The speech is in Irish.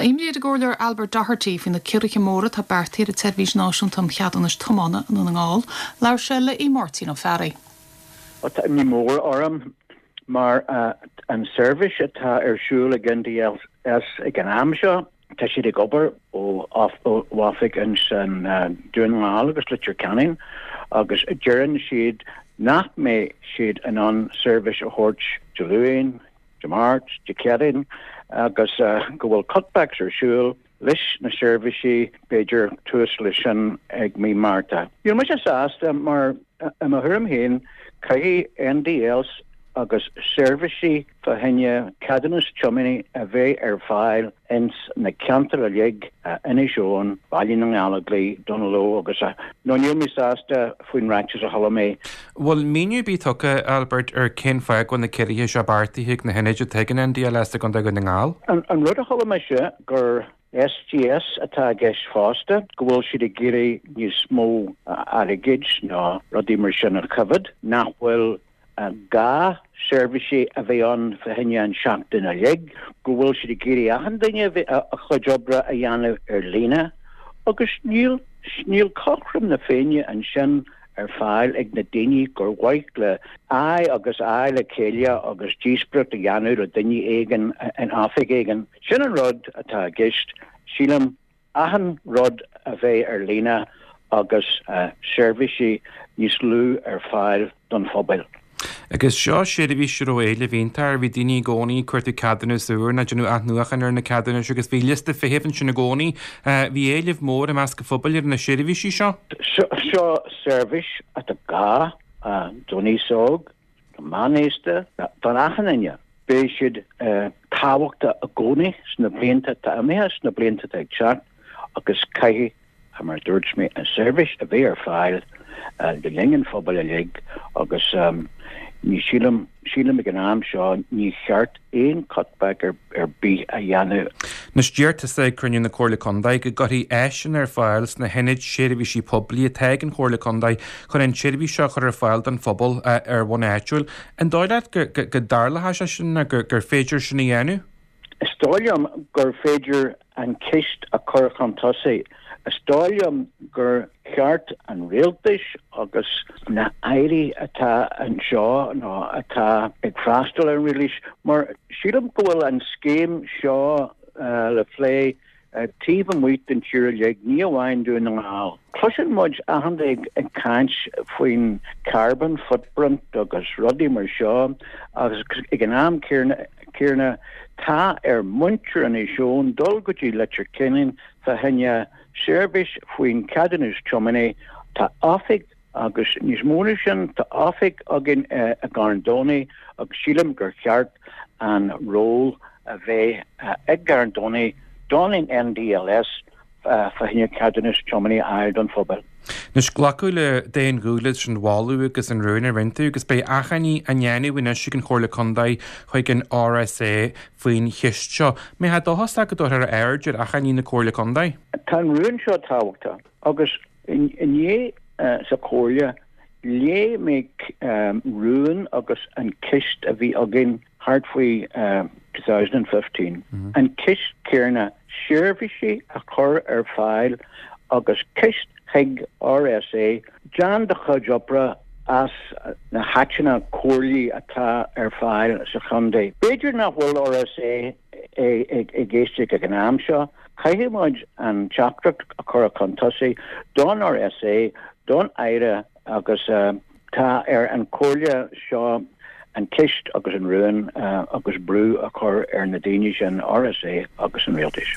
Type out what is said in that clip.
imní ar an gComhairleoir Albert Doherty faoi na ciorruithe móra atá beartaithe ar an tSeirbhís Náisiúnta um Cheadúnais Tiomána i nDún na nGall. Labhair sé le Aodh Máirtín Ó Fearraigh. Tá imní mór orm mar an seirbhís atá ar siúl ag NDLS ag an am seo, tá siad ag obair ó oifig ins an Dún na nGall agus Leitir Ceanainn agus deireann siad nach mbeidh siad in ann seirbhís a thabhairt Dé Luain, Dé Máirt, Dé Céadaoin agus go bhfuil cutbacks ar siúl leis na seirbhísí, b'fhéidir tús leis sin ag mí Márta. Níl mise sásta mar i mo thuairim féin caithfidh NDLS agus seirbhísí fá choinne ceadúnas tiomána a bheith ar fáil ins na ceantair uilig, Inis Eoghain, Baile na nGallóglach, Dún Lúiche agus no níl mé sásta faoin ráiteas a chuala mé. Bhfuil míniú ar bith tugtha, Albert, ar cén fáth go bhfuil na ciorruithe seo beartaithe ag na hionaid atá ag an NDLS i gContae Dhún na nGall? An rud a chuala mise gur SGS atá i gceist fosta, go bhfuil siad ag iarraidh níos mó airgid nó rudaí mar sin a choimhéad, nach bhfuil gá seirbhísí a bheith ann fá choinne an seachtain uilig, go bhfuil siad ag iarraidh achan duine a chuid oibre a dhéanamh ar líne agus níl níl cothrom na Féinne ansin ar fáil ag na daoine gur mhaith le aghaidh agus aghaidh le chéile agus díospóireacht a dhéanamh le duine éigin in oifig éigin. Sin an rud atá i gceist, sílim. achan rud a bheith ar líne agus seirbhísí níos lú ar fáil don phobal. Agus seo seirbhís a raibh éileamh iontach air, bhí daoine i gcónaí ag cuartú ceadúnas úr nó ag déanamh athnuachan ar na ceadúnais agus bhí liosta feithimh ansin i gcónaí. Bhí éileamh mór i measc an phobail ar na seirbhísí seo. Seo seirbhís atá gá don aos óg, don meánaosta, don achan duine. Beidh siad tábhachtach i gcónaí sna blianta atá imithe, sna blianta atá ag teacht agus caithfidh, mar a dúirt mé, an seirbhís a bheith ar fáil le linn an phobail uilig agus ní sílim, sílim ag an am seo ní cheart aon cutback ar bith a dhéanamh. Anois deir tusa ag cruinniú na Comhairle Contae go gcuirfí áiseanna ar fáil sna hionaid seirbhísí poiblí atá ag an Chomhairle Contae chun an tseirbhís seo a chur ar fáil don phobal ar bhonn áitiúil. An dóigh leat go dtarlóidh sé sin nó gur féidir sin a dhéanamh? Is dóigh liom gur féidir an ceist a chur chun tosaigh. Is dóigh liom gur cheart an rialtais agus na hairí atá anseo nó atá ag freastal ar an rialtais, mar sílim go bhfuil an scéim seo le plé taobh amuigh den tír uilig, ní amháin Dún na nGall. Cloiseann muid achan duine ag caint faoin carbon footprint agus rudaí mar seo agus ag an am céanna tá ar muintir Inis Eoghain dul go dtí Leitir Ceanainn fá choinne seirbhís faoin ceadúnas tiomána. Tá oifig agus níos mó ná sin, tá oifig againn i gCarn Domhnaigh agus sílim gur cheart an ról a bheith ag gCarn Domhnaigh don NDLS fá choinne ceadúnas tiomána a fháil don phobal. Anois, glacadh le d'aon ghuth leis an mholadh agus an rún a rinne tú agus beidh achainí á ndéanamh anois ag an Chomhairle Contae chuig an RSA faoin cheist seo. Mbeifeá dóchasach go dtabharfar aird ar achainí na Comhairle Contae? Tá an rún seo tábhachtach agus inné sa Chomhairle léigh mé rún agus an ceist a bhí againn thart faoi 2015, an ceist céanna, seirbhísí a chur ar fáil agus ceist chuig RSA, déan do chuid oibre as na háiteanna comhairlí atá ar fáil sa chontae. B'fhéidir nach bhfuil RSA ag éisteacht ag an am seo. Caithfidh muid an teachtaireacht a chur chun tosaigh don RSA, don Aire agus tá ar an chomhairle seo an ceist agus an rún agus brú a chur ar na daoine sin, RSA agus an Rialtais.